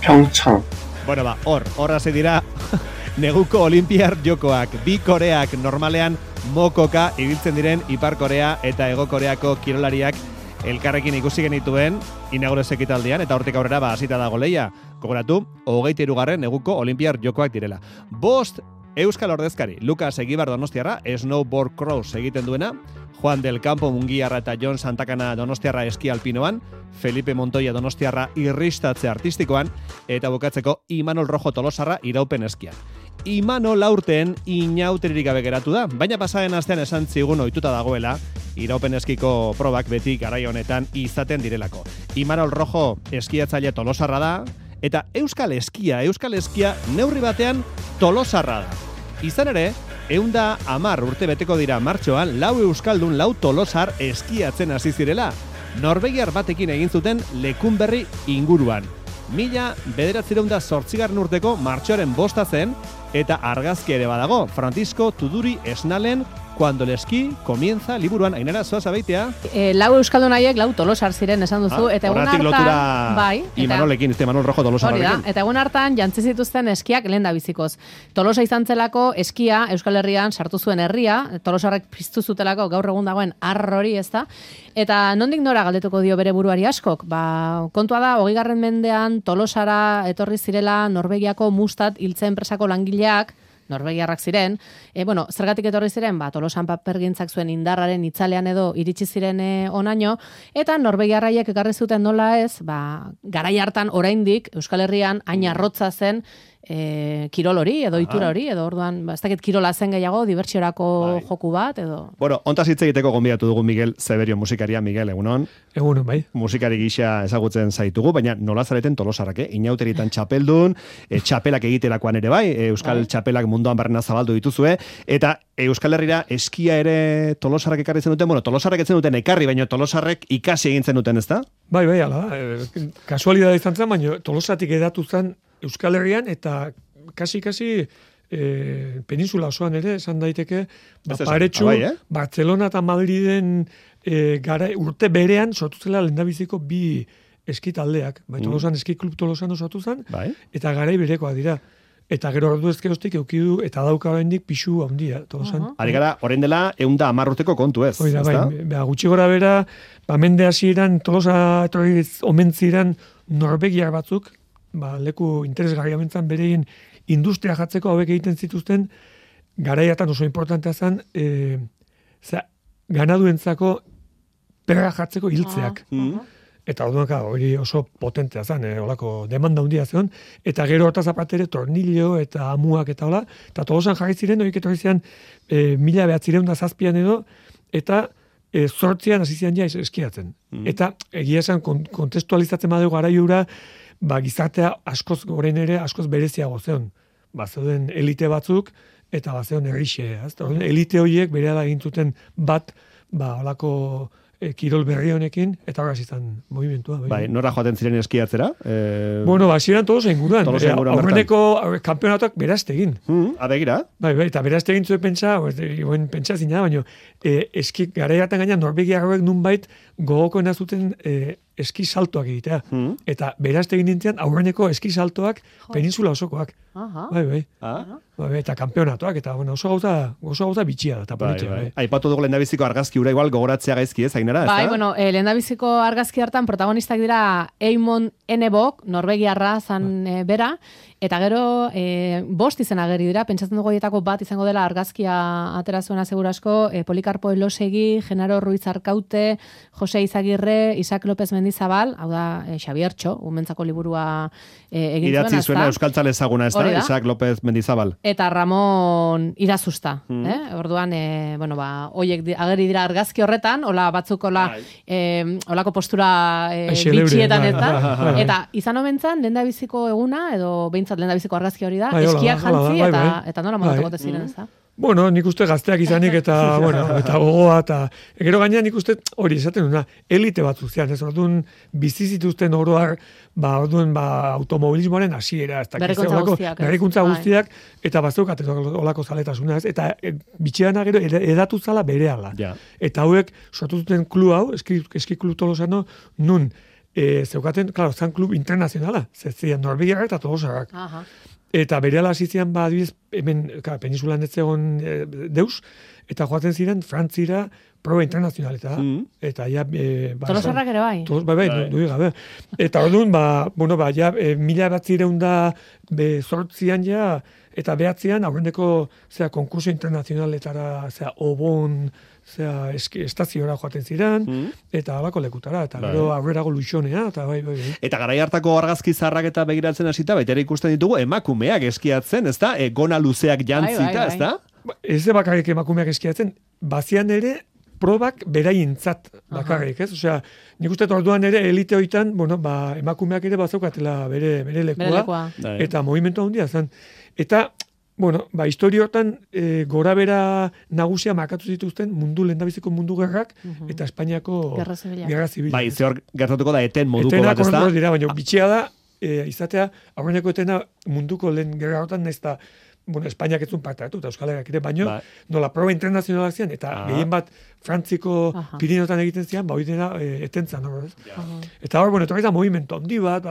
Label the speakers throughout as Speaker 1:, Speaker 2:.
Speaker 1: 평창.
Speaker 2: Bueno, hor hasi dira neguko olimpiar jokoak. Bi Koreak normalean mokoka ibiltzen diren Ipar Korea eta Hego Koreako kirolariak elkarrekin ikusi genituen inaugurez ekitaldian, eta hortik aurrera hasita dago leia. Gogoratu, 23. neguko olimpiar jokoak direla. 5 euskal ordezkari, Lucas Egibar Donostiarra, snowboard cross egiten duena, Juan del Campo Mungiarra eta Jon Santakana Donostiarra eski alpinoan, Felipe Montoya Donostiarra irristatze artistikoan, eta bukatzeko Imanol Rojo Tolosarra iraupen eskian. Imanol aurten inauteririk gabe geratu da, baina pasaren astean esan zigun ohituta dagoela, iraupen eskiko probak beti garai honetan izaten direlako. Imanol Rojo eskiatzaile Tolosarra da, eta euskal eskia neurri batean Tolosarra da. Izan ere, 110 urte beteko dira martxoan 4 euskaldun 4 Tolosar eskiatzen hasi zirela. Norvegiar batekin egin zuten Lekunberri inguruan. 1908 urteko martxoaren 5 zen, eta argazki ere badago, Francisco Tuduri Esnalen Cuando el esquí comienza liburuan. Ainara, zoaz abeitea?
Speaker 3: 4 euskaldun haiek 4 Tolosar ziren esan duzu, eta egun hartan...
Speaker 2: lotura
Speaker 3: bai,
Speaker 2: Imanolekin, Imanol Rojo Tolosarrarekin.
Speaker 3: Eta egun hartan jantzi zituzten eskiak lehen da bizikoz. Tolosa izan zelako eskia Euskal Herrian sartu zuen herria, Tolosarrek piztu zutelako gaur egun dagoen hori, ezta? Eta nondik nora galdetuko dio bere buruari askok? Kontua da, 20. mendean Tolosara etorri zirela Norvegiako Mustat hiltze enpresako langileak, norvegiarrak ziren, zergatik etorri ziren, Tolosan papergintzak zuen indarraren itzalean edo iritsi ziren onaino, eta norvegiarraiek ekarri zuten nola ez, garai hartan oraindik Euskal Herrian hain arrotza zen kirol hori, edo itura hori, edo orduan, ez dakit kirola zen gehiago, dibertsiorako joku bat, edo...
Speaker 2: Bueno, ontaz hitz egiteko gonbidatu dugu Miguel Zeberio musikaria. Miguel, egunon?
Speaker 4: Egunon, bai.
Speaker 2: Musikari gisa ezagutzen zaitugu, baina nola zareten Tolosarrak, inauteritan txapeldun, txapelak egiterakoan ere bai, Euskal txapelak munduan barrena zabaldu dituzue, eta Euskal Herrira eskia ere Tolosarrak ekarri zen duten, Tolosarrak etzen duten ekarri, baina Tolosarrek ikasi egin zen duten, ezta?
Speaker 4: Bai, ala, kasualidad izan zen, baina Tolosatik edatu zen Euskal Herrian, eta kasi peninsula osoan ere, esan daiteke, paretxu, Barcelona eta Madriden urte berean sortu zela lehendabiziko bi eskitaldeak. Tolosan eski klub Tolosan sortu zen, eta garai berekoa dira. Eta gero ordu ezkeroztik eukidu eta dauka oraindik pisu handia Tolosan.
Speaker 2: Ari gara, orain dela 110 urteko kontu ez.
Speaker 4: Oida, gutxi gora bera, mende hasieran Tolosa etorri omen ziren norvegiar batzuk, leku interesgarria mentzan bereien industria jatzeko hauek egiten zituzten, garaiatan oso importantea zen, ganaduentzako perra jatzeko hiltzeak. Eta orduan hori oso potentea zen, olako demanda handia zen, eta gero hortaz apatere tornillo eta amuak eta hola, eta Tolosan jarri ziren, horiek etorri ziren 1907 edo, eta 8an hasi ziren ja eskiatzen. Eta egia esan kontestualizatzen badugu garaiura, gizartea askoz goren ere, askoz bereziago zeon. Zeuden elite batzuk, eta zeuden errixe. Elite horiek berehala egin zuten bat, olako kirol berri honekin, eta horraz izan movimentua.
Speaker 2: Bai, nora joaten ziren eskiatzera?
Speaker 4: Ziren Tolosa inguruan. Aurreneko kampeonatuak berazte egin.
Speaker 2: Abegira?
Speaker 4: Bai, eta berazte egin zuen pentsa zina, baina eski garaiatan gaina norvegiarroek nunbait gogokoena zuten eski saltoak egitea. Eta berazte egin nintzen aurreneko eski saltoak peninsula osokoak. Bai. Eta kampeonatuak, eta oso gauza bitxia da, eta politia.
Speaker 2: Aipatu dugu lehendabiziko argazki ura igual gogoratzea gaizki ez, Ainara?
Speaker 3: Bai, lehendabiziko argazki hartan protagonistak dira Eamon Enebok, norvegiarra zan bera, eta gero 5 izen ageri dira, pentsatzen dugu horietako bat izango dela argazkia atera zuena segurasko, Polikarpo Elosegi, Genaro Ruiz Arkaute, Jose Izagirre, Isaac López Mendizabal, hau da Xabiertxo, umentzako liburua egin zuena.
Speaker 2: Idatzi zuena euskaltzale ezaguna, ez da, Isaac López Mendizabal.
Speaker 3: Eta Ramon Irazusta. Orduan, hoiek ageri dira argazki horretan, hola batzuk holako postura bitxietan eta. Eta izan omentzan, lehendabiziko eguna, edo behintzat lehendabiziko argazki hori da, eskiak jantzi eta nola montako ziren, ez da?
Speaker 4: Bueno, nik uste gazteak izanik eta gogoa, eta gero gainean nik uste hori esaten duna, elite bat zuzian, ez orduan bizizituzten oroar, orduan automobilismoaren hasiera, ez da, berrikuntza guztiak, eta bazeukat olako zaletasuna, ez, eta bitxean gero edatu zala berehala. Eta hauek sortu zuten klub hau, eski klub Tolosano, nun zeukaten, klaro, zan klub internazionala, ziren Norvegiarrak eta Tolosarrak.
Speaker 3: Aha.
Speaker 4: Eta berehala hasi ziren, adibidez, hemen, peninsulan ez zegoen deus, eta joaten ziren Frantzira proba internazionaleta. Eta ja...
Speaker 3: Tolosarrak ere bai.
Speaker 4: Bai, du gabe. Eta orduan, ja, 1908an ja, eta 9an, aurreneko, konkurso internazionaletara, obon, estaziora joaten ziren, eta alako lekutara, eta gero aurrerago luixonea, eta bai.
Speaker 2: Eta garai hartako argazki zarrak eta begiratzen hasita, baita ere ikusten ditugu emakumeak eskiatzen, ezta? Gona luzeak jantzita, ezta?
Speaker 4: Ez bakarrik emakumeak eskiatzen, bazian ere, probak beraientzat bakarrik, ez? Osea, nik uste orduan ere elite hoitan, emakumeak ere bazaukatela bere lekua, eta movimentu handia zen. Eta, historia hortan gorabera nagusia markatu zituzten lehendabiziko mundu gerrak eta Espainiako Gerra Zibila.
Speaker 2: Bai, ze hor gertatuko da eten moduko bat, ez da?
Speaker 4: Etenak dira, baina bitxia da, izatea, aurreneko etena munduko lehen gerra hortan ez da, Espainiak etzun parte hartu, eta Euskal Herriak ere, baino, nola proba internazionalak zian, eta gehien bat Frantziko Pirineotan egiten zian, hori dena etentzan, Eta hor, etorri da movimentu handi bat,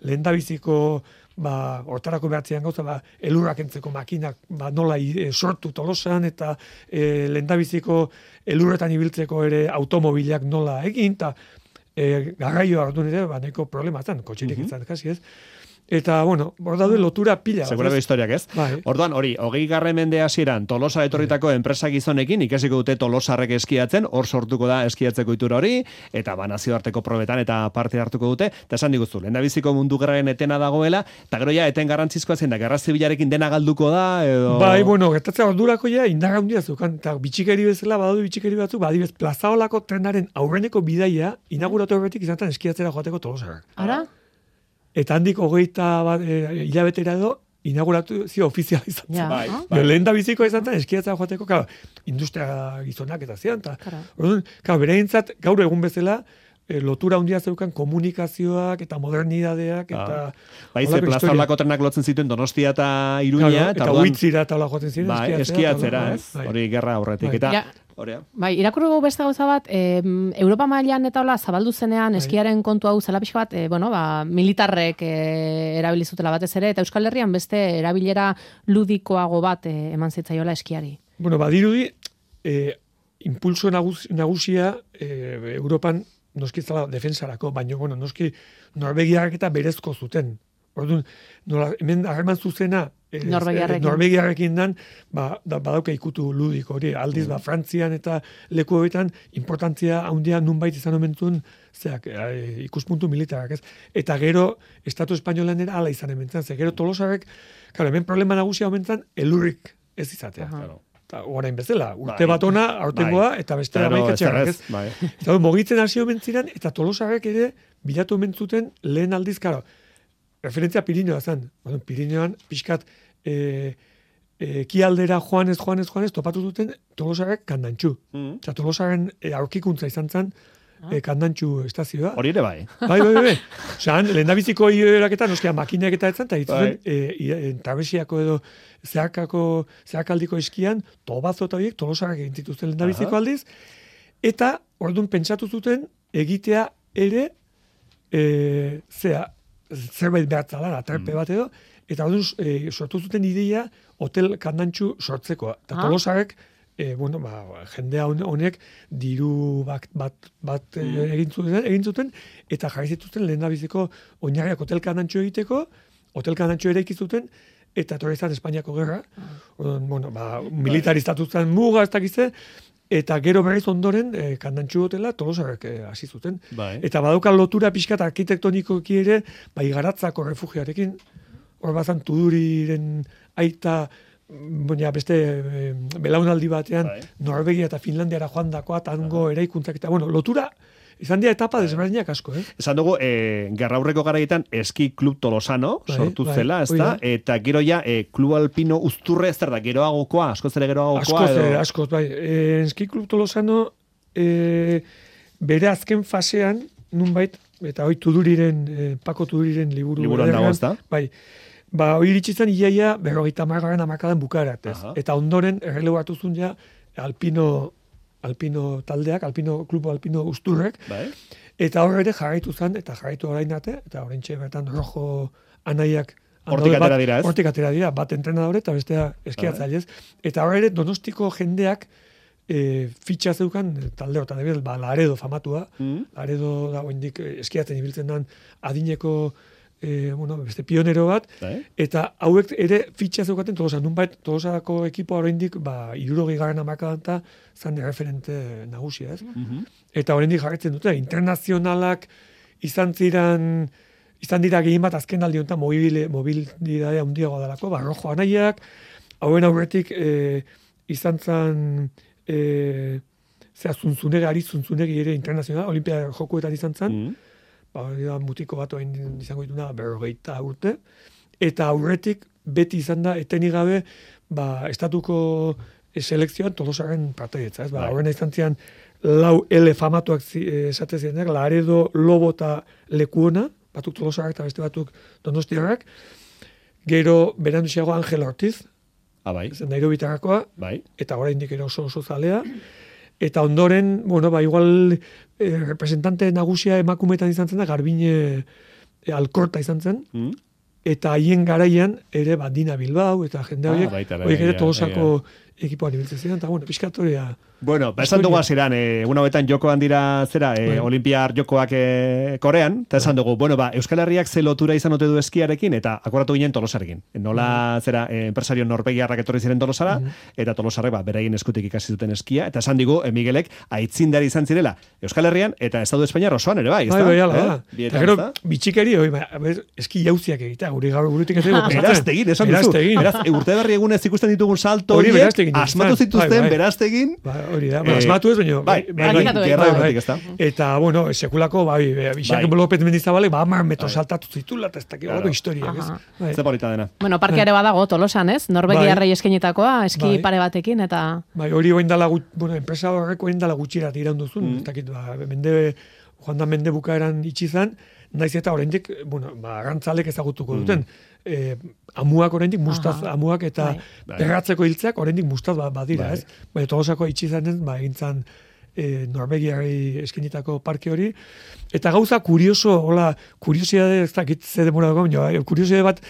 Speaker 4: lehendabiziko hortarako behatzean gauza, elurrak entzeko makinak nola sortu Tolosan, eta lehendabiziko elurretan ibiltzeko ere automobilak nola egin, eta garraioa orduan ere, neko problema zan, kotxirik izan, kasi ez. Eta, hor daude lotura pila.
Speaker 2: Segurako historiak, ez?
Speaker 4: Bai.
Speaker 2: Orduan, 20. mende hasieran Tolosa etorritako enpresa gizonekin ikasiko dute Tolosarrek eskiatzen, hor sortuko da eskiatzeko itura hori, eta nazioarteko probetan eta parte hartuko dute, eta esan diguzu, lehendabiziko mundu gerraren etena dagoela, eta gero ja, eten garrantzizkoa zen, da Gerra Zibilarekin dena galduko da, edo...
Speaker 4: Bai, gertatzea ordurako ja, indar handia zeukan, eta bitxikeri bezala, badaude bitxikeri batzuk, adibidez, Plazaolako trenaren aurreneko bidaia, inauguratu horretik izan eskiatzera joateko Tolosarrak.
Speaker 3: Ara?
Speaker 4: Eta handik 21 hilabetera edo, inaugurazio ofiziala izan zen.
Speaker 2: Bai.
Speaker 4: Lehen da biziko izan zen, eskiatzea joateko, industria gizonak eta zian. Bereintzat, gaur egun bezala, lotura handia zeukan komunikazioak eta modernidadeak eta...
Speaker 2: Ze Plazaolako trenak lotzen zituen Donostia eta Iruña.
Speaker 4: Eta Huitzira eta hola joaten ziren.
Speaker 2: Eskiatzera, ez? Hori gerra aurretik. Eta...
Speaker 3: Bai, irakurriko beste gauza bat, Europa mailan eta hola zabaldu zenean eskiaren kontu hau zela pixka bat, militarrek erabilizutela batez ere, eta Euskal Herrian beste erabilera ludikoago bat eman zitzaiola eskiari.
Speaker 4: Badirudi, impulso nagusia Europan noski zala defensarako, baina noski Norvegiarrak eta berezko zuten. Orduan, hemen harreman zuzena Norvegiarrekin dan, badauka ikutu ludik hori, aldiz, Frantzian eta leku horietan, importantzia handia nunbait izan omentuen, ikuspuntu militarak, ez? Eta gero, Estatu Espainolan era ala izan ementzen, gero Tolosarrek, hemen problema nagusia omentzen, elurrik ez izatea. Orain bezala, urte bat ona, aurtengoa, eta beste amaikatxerrak, ez? Eta mogitzen hasi omentziran, eta Tolosarrek ere, bilatu omentzuten lehen aldiz, referentzia Pirinioa zen. Pirinioan, pixkat, kialdera joanez, topatu duten Tolosarrek Kandantxu. Eta Tolosaren aurkikuntza izan zen, Kandantxu estazioa.
Speaker 2: Hori ere bai.
Speaker 4: Bai. Osean, lehendabiziko eraketa, noskia makinak eta etzan, eta hitzen, trabesiako edo zeharkaldiko eskian, tobazo eta horiek Tolosarrek egin zituzten lehendabiziko aldiz, eta orduan pentsatu zuten egitea ere, zerbait behatzala, aterpe bat edo, eta orduan sortu zuten ideia hotel Kandantxu sortzeko. Eta Tolosarrek, jendea honek diru bat egin zuten, eta jarri zituzten lehendabiziko oinarriak hotel Kandantxu egiteko, hotel Kandantxu ere ikizuten, eta etorri izan Espainiako gerra, militariztatu zen muga, ez dakize, eta gero berriz ondoren Kandantxu hotela Tolosarrek hasi zuten. Eta badauka lotura pixkat arkitektonikoki ere, Igaratzako refugiarekin, hor bazan Tuduriren aita, beste belaunaldi batean, Norvegia eta Finlandiara joan dakoa, tango eraikuntzak eta, lotura, izan dira etapa desberdinak asko,
Speaker 2: Esan dugu, gerraurreko garaietan eski klub Tolosano sortu zela, ez da? Eta gero ja, klub alpino Uzturre, ez da, geroagokoa, askoz ere geroagokoa?
Speaker 4: Askoz, bai. Eski klub Tolosano, bere azken fasean, nunbait, eta hoi Pako Tuduriren
Speaker 2: liburuan dago, ez da?
Speaker 4: Bai. Hoi iritsi zen iaia 50. hamarkadan bukaerat, ez? Eta ondoren, erreleu hartu zuen ja, alpino taldeak, klubo alpino Uzturrek, Eta hor ere jarraitu zen, eta jarraitu orain arte, eta orain bertan rojo anaiak
Speaker 2: hortik atera dira, ez?
Speaker 4: Hortik atera dira, bat entrenadore eta bestea eskiatzailez. Eta hor ere Donostiko jendeak fitxa zeukan talde hortan, Laredo famatua, Laredo da oraindik eskiatzen ibiltzen den adineko beste pionero bat, eta hauek ere fitxa zeukaten Tolosa, nunbait Tolosako ekipoa oraindik 60. hamarkadan zan referente nagusia, ez? Eta oraindik jarraitzen dute internazionalak izan dira gehien bat azken aldi honetan mobilidadea handiagoa delako, rojo anaiak, hauen aurretik izan zen Zuntzunegi ere internazional, Olimpia jokuetan izan zen, mutiko bat oain izango dituna 40 urte, eta aurretik beti izan da etenik gabe estatuko selekzioan Tolosaren partaietza, ez? Horrena izan zian lau L famatuak esate zirenak, Laredo, Lobo eta Lekuona, batuk Tolosarrak eta beste batuk Donostiarrak, gero beranduxeago Angel Ortiz, Nairobitarrakoa, eta oraindik ere oso zalea, eta ondoren, igual representante nagusia emakumetan izan zen da, Garbine Alkorta izan zen, eta haien garaian ere Dina Bilbao, eta jende horiek ere Tolosako ekipoan ibiltzen ziren, eta pixkatoria...
Speaker 2: Bueno, esan dugu hasieran, egun hauetan jokoan dira Olimpiar jokoak Korean, eta esan dugu, Euskal Herriak ze lotura izan ote du eskiarekin, eta akoratu ginen Tolosarekin. Nola enpresario norvegiarrak etorri ziren Tolosara, eta Tolosarrek beraien eskutik ikasi duten eskia, eta esan digu, Miguelek aitzindari izan zirela Euskal Herrian, eta Estatu Espainiar osoan ere bai,
Speaker 4: ezta? Eta gero, bitxikeri, eski jauziak egitea, guri gaur burutik ez dugu pasatzen.
Speaker 2: Esan duzu. Urte berri egunez ikusten ditugun salto asmatu zituzten, beraztegin.
Speaker 4: Hori da, asmatu ez, baina... Eta, sekulako, Bixak López Mendizabale, 10 metro saltatu zitula, eta ez dakik historiak, ez?
Speaker 2: Ze polita dena.
Speaker 3: Parkeare badago Tolosan, ez? Norvegiarrei eskenetakoa, eski pare batekin, eta...
Speaker 4: Hori oindala, enpresa horreko oindala gutxirat iraunduzun, ez dakit, joan da mende bukaeran itxizan, naiz eta oraindik, arrantzalek ezagutuko duten, amuak oraindik mustaz, amuak eta perratzeko hiltzeak oraindik mustaz badira, ez? Tolosako itxizanen, egintzan Norvegiarrei eskenitako parke hori, eta gauza kuriosidade, ez dakit ze demora dago, kuriosidade bat,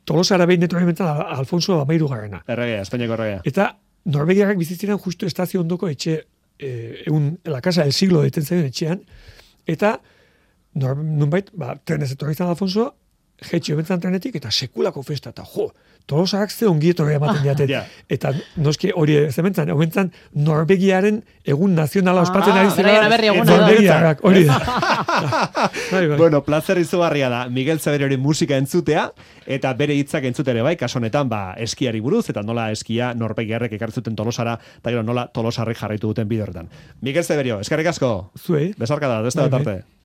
Speaker 4: Tolosara behin netorri mentzan Alfonso Amairu garrena.
Speaker 2: Erregea, Espainiako erregea.
Speaker 4: Eta Norvegiarrak bizitziren justu estazio ondoko etxe, la casa del siglo deten zaien etxean, eta nunbait, trenez etorri zan Alfonso, jetxio bentzan trenetik, eta sekulako festa, eta Tolosarrak ze ongietorri ematen diaten. Eta noski hori zementzan, bentzan Norvegiaren egun nazionala ospatzen ari zira. Norvegiarrak, hori da.
Speaker 2: Bueno, placer izugarria da, Miguel Zeberiori musika entzutea, eta bere hitzak entzutere bai, kaso honetan, eskiari buruz, eta nola eskia Norvegiarrek ekartzuten Tolosara, eta gero nola Tolosarrek jarraitu duten bide horretan. Miguel Zeberio, eskerrik asko.
Speaker 4: Zuei.
Speaker 2: Besarka da, desta da tarte.